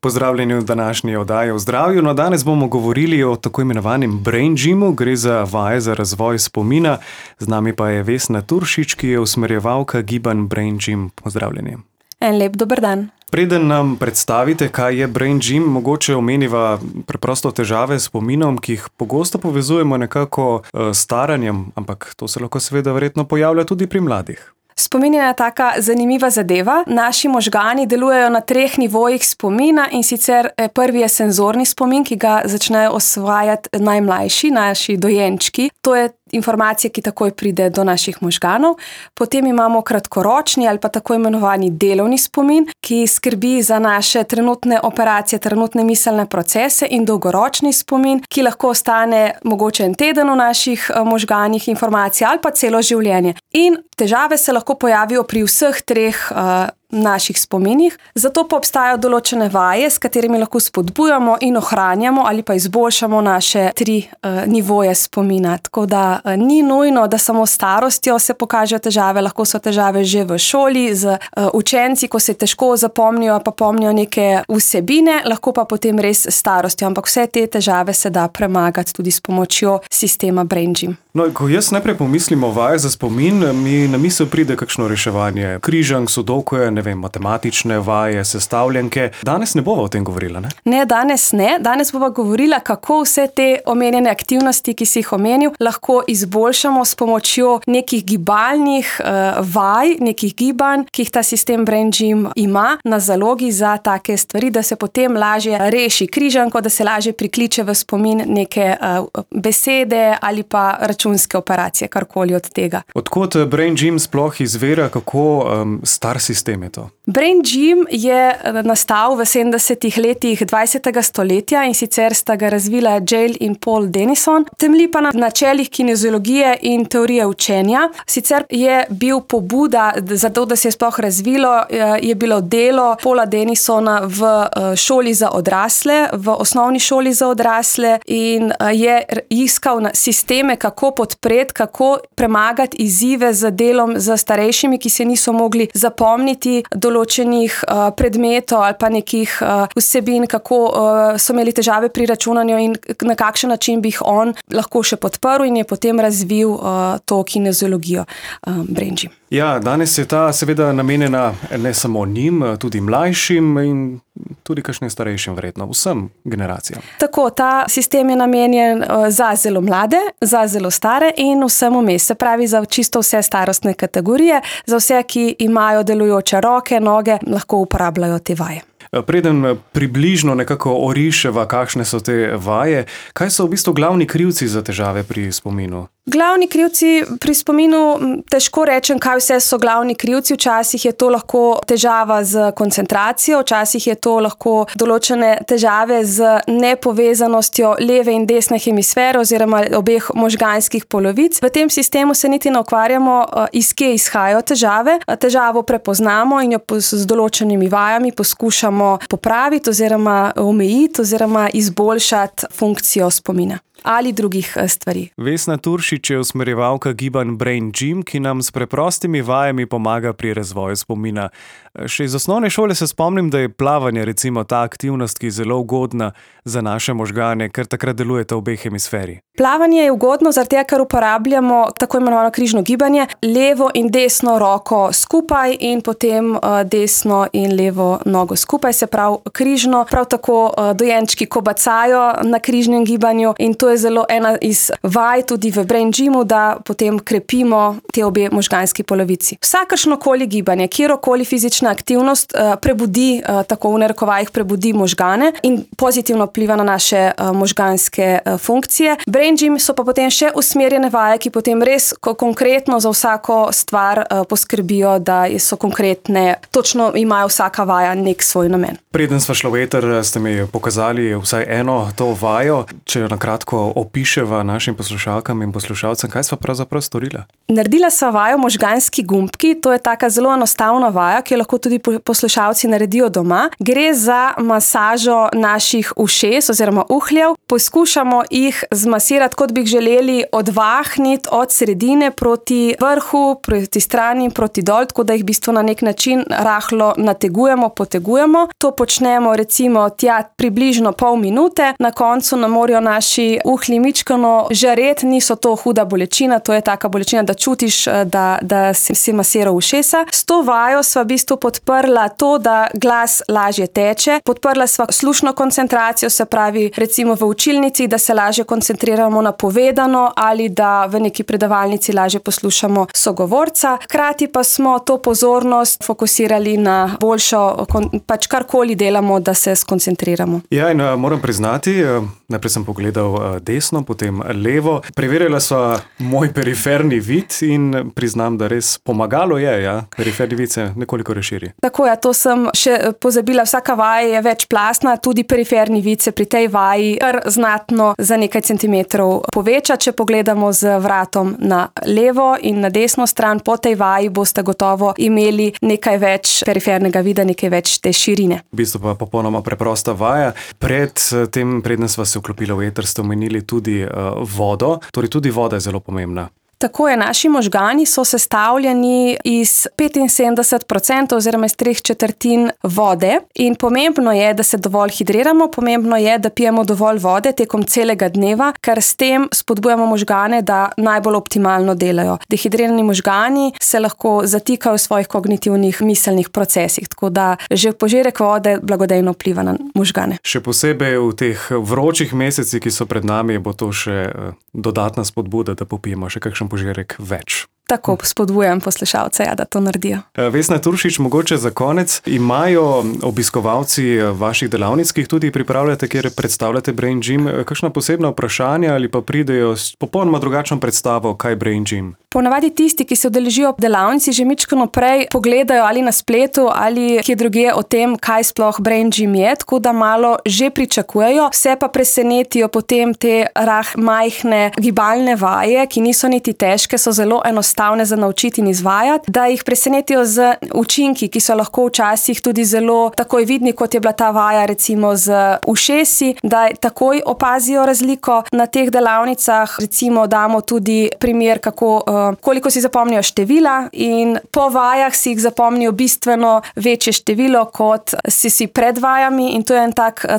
Pozdravljeni v današnji oddaji o zdravju. No, danes bomo govorili o tako imenovanem Brain Gymu, gre za vaje za razvoj spomina. Z nami pa je Vesna Turšič, ki je usmerjevalka gibanj Brain Gym. Pozdravljeni. En lep dober dan. Preden nam predstavite, kaj je Brain Gym, mogoče omeniva preprosto težave s spominom, ki jih pogosto povezujemo nekako s staranjem, ampak to se lahko seveda verjetno pojavlja tudi pri mladih. Spomin je taka zanimiva zadeva. Naši možgani delujejo na 3 nivojih spomina in sicer prvi je senzorni spomin, ki ga začnejo osvajati najmlajši, naši dojenčki. To je informacija, ki takoj pride do naših možganov. Potem imamo kratkoročni ali pa tako imenovani delovni spomin, ki skrbi za naše trenutne operacije, trenutne miselne procese, in dolgoročni spomin, ki lahko ostane mogoče en teden v naših možganih informacij ali pa celo življenje. In težave se lahko pojavijo pri vseh 3 naših spominih, zato pa obstajajo določene vaje, s katerimi lahko spodbujamo in ohranjamo ali pa izboljšamo naše 3 nivoje spomina. Tako da ni nujno, da samo s starostjo se pokažejo težave, lahko so težave že v šoli, z učenci, ko se težko zapomnijo pa pomnijo neke vsebine, lahko pa potem res s starostjo, ampak vse te težave se da premagati tudi s pomočjo sistema Brain Gym. No, ko jaz najprej pomislim o vaje za spomin, mi na misel pride kakšno reševanje križank, sudokuja, matematične vaje, sestavljanke. Danes ne bova o tem govorila, ne? Ne, danes ne. Danes bova govorila, kako vse te omenjene aktivnosti, ki si jih omenil, lahko izboljšamo s pomočjo nekih gibalnih vaj, nekih gibanj, ki jih ta sistem Brain Gym ima na zalogi za take stvari, da se potem lažje reši križanko, da se lažje prikliče v spomin neke besede ali pa računske operacije, karkoli od tega. Odkot Brain Gym sploh izvira, kako star sistem je to? Brain Gym je nastal v 70. letih 20. stoletja in sicer sta ga razvila Yale in Paul Denison. Temelji pa na načelih kineziologije in teorije učenja. Sicer je bil pobuda za to, da se je sploh razvilo, je bilo delo Paula Denisona v šoli za odrasle, v osnovni šoli za odrasle, in je iskal sisteme, kako podpreti, kako premagati izzive z delom z starejšimi, ki se niso mogli zapomniti določenih predmetov ali pa nekih vsebin, kako so imeli težave pri računanju in na kakšen način bi jih on lahko še podprl, in je potem razvil to kineziologijo Brain Gym. Ja, danes je ta seveda namenjena ne samo njim, tudi mlajšim in tudi kakšnim starejšim, verjetno vsem generacijam. Tako, ta sistem je namenjen za zelo mlade, za zelo stare in vsem vmes, se pravi za čisto vse starostne kategorije, za vse, ki imajo delujoče roke, noge, lahko uporabljajo te vaje. Preden približno nekako oriševa, kakšne so te vaje, kaj so v bistvu glavni krivci za težave pri spominu? Glavni krivci pri spominu, težko rečem, kaj vse so glavni krivci. Včasih je to lahko težava z koncentracijo, včasih je to lahko določene težave z nepovezanostjo leve in desne hemisfere oziroma obeh možganskih polovic. V tem sistemu se niti ne ukvarjamo, iz kje izhajajo težave. Težavo prepoznamo in jo z določenimi vajami poskušamo popraviti oziroma omejiti oziroma izboljšati funkcijo spomina ali drugih stvari. Vesna Turšič je usmerjevalka gibanj Brain Gym, ki nam s preprostimi vajami pomaga pri razvoju spomina. Še iz osnovne šole se spomnim, da je plavanje recimo ta aktivnost, ki je zelo ugodna za naše možgane, ker takrat delujeta obe hemisferi. Plavanje je ugodno zaradi tega, ker uporabljamo tako imenovano križno gibanje, levo in desno roko skupaj in potem desno in levo nogo skupaj, se pravi križno. Prav tako dojenčki kobacajo na križnem gibanju in to je zelo ena iz vaj tudi v Brain Gymu, da potem krepimo te obe možganski polovici. Vsakršnokoli gibanje, kjerokoli fizična aktivnost prebudi, tako v narekovajih prebudi možgane in pozitivno vpliva na naše možganske funkcije. Brain Gym so pa potem še usmerjene vaje, ki potem res konkretno za vsako stvar poskrbijo, da so konkretne, točno imajo vsaka vaja nek svoj namen. Preden sva šla v eter, ste mi pokazali vsaj eno to vajo, če jo na kratko opiševa našim poslušalkam in poslušalcem, kaj sva pravzaprav storila? Naredila sva vajo možganski gumbki, to je taka zelo enostavna vaja, ki jo lahko lahko tudi poslušalci naredijo doma. Gre za masažo naših ušes oziroma uhljev. Poskušamo jih zmasirati, kot bi jih želeli odvahniti od sredine proti vrhu, proti strani, proti dol, tako da jih v bistvu na nek način rahlo nategujemo, potegujemo. To počnemo recimo tja približno pol minute. Na koncu nam morajo naši uhlji mičkano žareti, niso to huda bolečina, to je taka bolečina, da čutiš, da si masiral ušesa. S to vajo sva v bistvu podprla to, da glas lažje teče. Podprla sva slušno koncentracijo, se pravi recimo v učilnici, da se lažje koncentriramo na povedano ali da v neki predavalnici lažje poslušamo sogovorca. Hkrati pa smo to pozornost fokusirali na boljšo, pač karkoli delamo, da se skoncentriramo. Ja, in moram priznati, najprej sem pogledal desno, potem levo. Preverjala sva moj periferni vid in priznam, da res pomagalo je, ja. Periferni vid se nekoliko razširi. Tako je, to sem še pozabila. Vsaka vaja je večplastna, tudi periferni vid se pri tej vaji kar znatno za nekaj centimetrov poveča. Če pogledamo z vratom na levo in na desno stran, po tej vaji boste gotovo imeli nekaj več perifernega vida, nekaj več te širine. V bistvu pa popolnoma preprosta vaja. Preden sva se vklopila v eter, ste omenili tudi vodo. Torej tudi voda je zelo pomembna. Tako je, naši možgani so sestavljeni iz 75% oziroma iz 3/4 vode in pomembno je, da se dovolj hidriramo, pomembno je, da pijemo dovolj vode tekom celega dneva, ker s tem spodbujamo možgane, da najbolj optimalno delajo. Dehidrirani možgani se lahko zatikajo v svojih kognitivnih miselnih procesih, tako da že požirek vode blagodejno vpliva na možgane. Še posebej v teh vročih mesecih, ki so pred nami, bo to še dodatna spodbuda, da popijemo še kakšen požirek več. Tako spodbujam poslušalce, da to naredijo. Vesna Turšič, mogoče za konec, imajo obiskovalci vaših delavnic, ki jih tudi pripravljate, kjer predstavljate Brain Gym, kakšna posebna vprašanja ali pa pridejo s popolnoma drugačno predstavo, kaj je Brain Gym? Ponavadi tisti, ki se udeležijo delavnici, že mičkano prej pogledajo ali na spletu ali kje drugje o tem, kaj sploh Brain Gym je, tako da malo že pričakujejo, vse pa presenetijo potem te majhne gibalne vaje, ki niso niti težke, so zelo enostavne za naučiti in izvajati, da jih presenetijo z učinki, ki so lahko včasih tudi zelo takoj vidni, kot je bila ta vaja recimo z ušesi, da takoj opazijo razliko na teh delavnicah. Recimo damo tudi primer, koliko si zapomnijo števila in po vajah si jih zapomnijo bistveno večje število, kot si pred vajami in to je en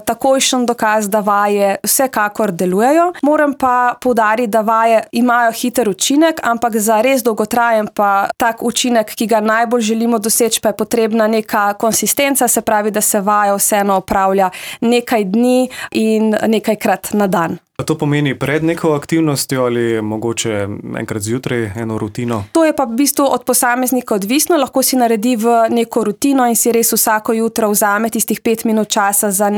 takojšen dokaz, da vaje vsekakor delujejo. Moram pa poudariti, da vaje imajo hiter učinek, ampak za res dolgotrajen pa tak učinek, ki ga najbolj želimo doseči, pa je potrebna neka konsistenca, se pravi, da se vaja vseeno opravlja nekaj dni in nekajkrat na dan. A to pomeni pred neko aktivnostjo ali mogoče enkrat zjutraj eno rutino? To je pa v bistvu od posameznika odvisno, lahko si naredi v neko rutino in si res vsako jutro vzame tistih 5 minut časa za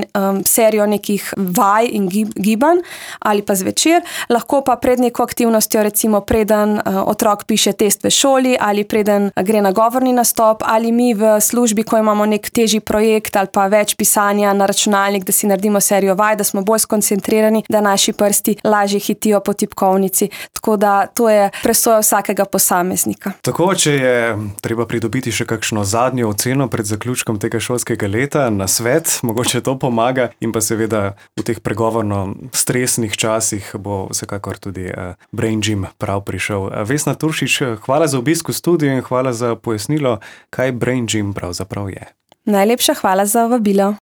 serijo nekih vaj in gibanj ali pa zvečer. Lahko pa pred neko aktivnostjo, recimo preden otrok piše test v šoli ali preden gre na govorni nastop ali mi v službi, ko imamo nek težji projekt ali pa več pisanja na računalnik, da si naredimo serijo vaj, da smo bolj skoncentrirani, da naši prsti lažje hitijo po tipkovnici. Tako da to je presoja vsakega posameznika. Tako, če je treba pridobiti še kakšno zadnjo oceno pred zaključkom tega šolskega leta na svet, mogoče to pomaga in pa seveda v teh pregovorno stresnih časih bo vsekakor tudi Brain Gym prav prišel. Vesna Turšič, hvala za obisk v studiu in hvala za pojasnilo, kaj Brain Gym pravzaprav je. Najlepša hvala za vabilo.